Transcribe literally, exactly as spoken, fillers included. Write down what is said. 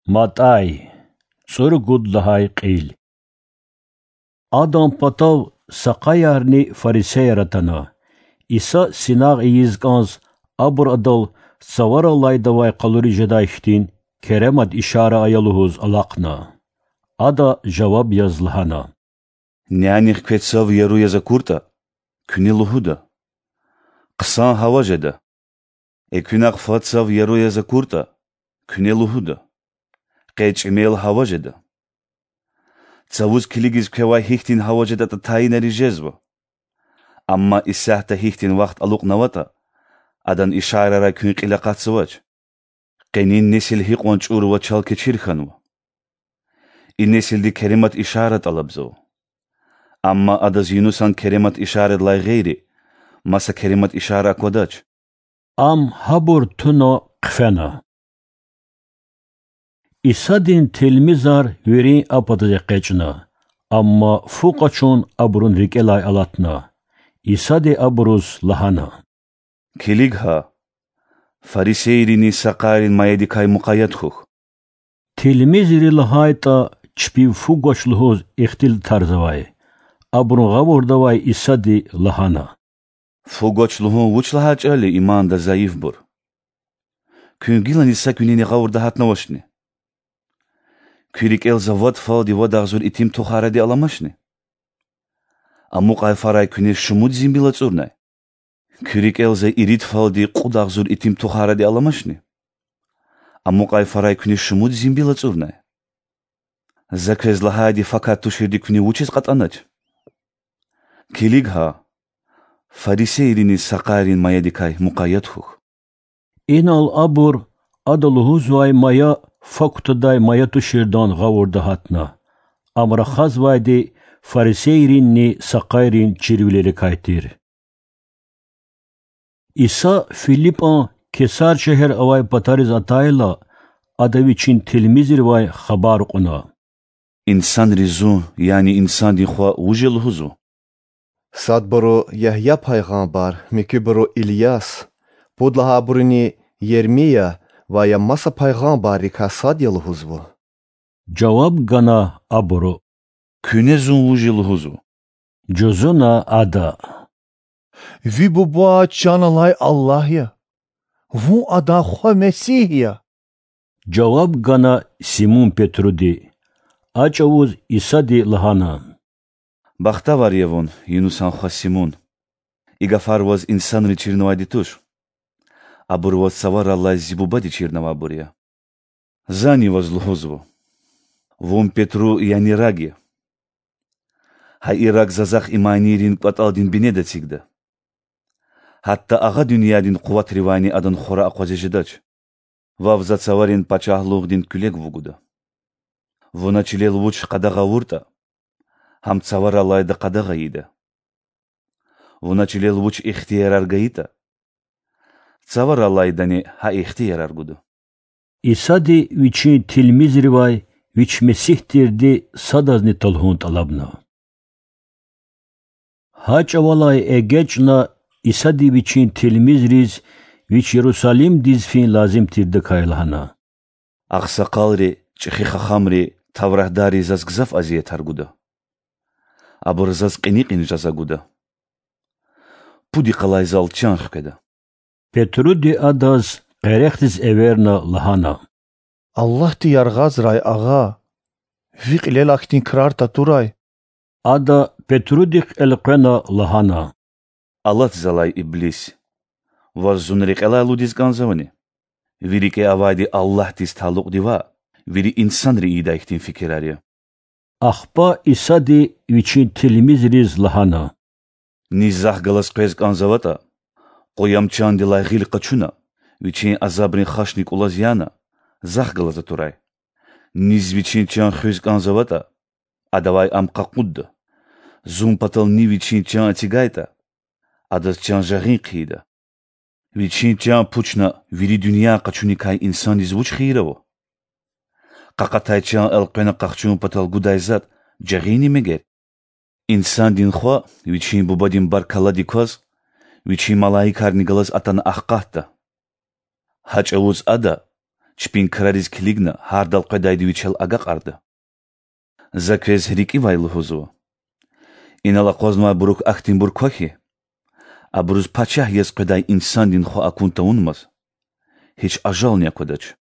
МатӀай, цӀуругуд лагьай кьил. Адан патав сакъаярни фарисеяр атана. Иса синагъ ийиз кӀанз, абур Адал цаварал алайдавай къалуриз жедай хьтин керемат ишара ая лугьуз алахъна. Ада жаваб яз лагьана: Нянихъ квез цав яру яз акуртӀа, куьне лугьуда: Хъсан гьава жеда. Экуьнахъ фад цав яру яз акуртӀа, куьне лугьуда: Къе чӀимел гьава жеда. Цавуз килигиз квевай гьихьтин гьава жедатӀа тайинарин жезва. Амма исятда гьихьтин вахт алукьнаватӀа, адан ишарайрай куьн кьил акъатзавач. Къенин несил гьикьван чӀур ва чалкечир хьанва! И несилди керемат ишара тӀалабзава. Амма адаз Юнусан керемат ишарадилай гъейри маса керемат ишара аквадач. Ам гьабур туна хъфена. Исадин тилмизар вирин а патаз экъечӀна, амма фу къачун абурун рикӀелай алатна. Исади абуруз лагьана: Килиг гьа, фарисейрини сакъайрин маядикай мукъаят хьухь. Тилмизри лагьайтӀа чпив фу гвач лугьуз ихтилатарзавай, абурун гъавурда авай Исади лагьана: Фу гвач лугьун вуч лагьай чӀал я иманда зайифбур? Куьн гилани са куьнени гъавурда гьатнавачни? Куь рикӀел за вад фалди вад агъзур итим тухарайди аламачни? Амукьай фарай куьне шумуд зимбил ацӀурнай? Куь рикӀел за ирид фалди кьуд агъзур итим тухарайди аламачни? Амукьай фарай куьне шумуд зимбил ацӀурнай? За квез лагьайди факат туширди куьне вучиз кьатӀанач? Килиг гьа, фарисейрини сакъайрин маядикай мукъаят хьухь. Инал абур Ада лугьузвай мая фа кутадай мая туширдан гъавурда гьатна. Ам рахазвайди фарисейринни сакъайрин чирвилерикай тир. Иса ФилипӀан Кесар шегьер авай патариз атайла, Ада Вичин тилмизривай хабар кьуна: Инсанри Зун, яни Инсандин Хва, вуж я лугьузва? Садбуру Ягья пайгъамбар, муькуьбуру Ильяс, пуд лагьайбуруни Ермия ва я маса пайгъамбаррикай сад я лугьузва,– жаваб гана абуру. Куьне Зун вуж я лугьузва? жузуна Ада. Ви Буба чан алай Аллагь я. Вун Адан Хва Месигь я,– жаваб гана Симун-Петруди. А чӀавуз Исади лагьана: Бахтавар я вун, Юнусан хва Симун! И гафар ваз инсанри чирнавайди туш. Абур ваз Цаварал алай зи Бубади чирнавайбур я. Зани ваз лугьузва: вун Петру, яни раг я. Гьа и раг За Захъ иманийрин кӀватӀалдин бинеда эцигда. Гьатта агъа дуьньядин къуватривайни адан хвара акъвазиз жедач. Вав За цаварин пачагьлугъдин куьлег вугуда. Вуна чилел вуч къадагъа авуртӀа, гьам Цаварал алайда къадагъа ийида. Вуна чилел вуч ихтиярар гайитӀа, Цаварал алайдани гьа ихтиярар гуда. Исади Вичин тилмизривай Вич Месигь тирди садазни талгьун тӀалабна. Гьа чӀавалай эгечӀна, Исади Вичин тилмизриз Вич Ярусалимдиз фин лазим тирдакай лагьана: Агъсакъалри, чӀехи хахамри, тавратдарри Заз гзаф азиятар гуда. Абур Заз кьиникьин жаза гуда. Пуд йикъалай Зал чан хкведа. Петруди Адаз къерехдиз эверна лагьана: Аллагьди яргъазрай Агъа! Ви кьилел ахьтин крар татурай! Ада Петрудихъ элкъвена лагьана: Алат Залай, иблис! Ваз Зун рекьелай алудиз кӀанзавани? Ви рикӀе авайди Аллагьдиз талукьди ваъ, вири инсанри ийидай хьтин фикирар я. Ахпа Исади Вичин тилмизриз лагьана: Низ Захъ галаз къвез кӀанзаватӀа, къуям чандилай гъил къачуна, вичин азабрин хашни кӀулаз яна, Захъ галаз атурай. Низ вичин чан хуьз кӀанзаватӀа, адавай ам къакъудда. Зун патал нив вичин чан эцигайтӀа, адаз чан жагъин хъийида. Вичин чан пучна вири дуьнья къачуникай инсандиз вуч хийир ава? Къакъатай чан элкъвена къахчун патал гудай затӀ жагъинни мегер? Инсандин Хва Вичин Бубадин баркалладик кваз Вичин малаикарни галаз атана ахкъатда. Гьа чӀавуз Ада чпин крариз килигна, гьардал къведайди вичел агакьарда. За квез рикӀивай лугьузва: инал акъвазнавайбурук ахьтинбур ква хьи, абуруз пачагь яз къведай Инсандин Хва акун тавунмаз, гьич ажални аквадач.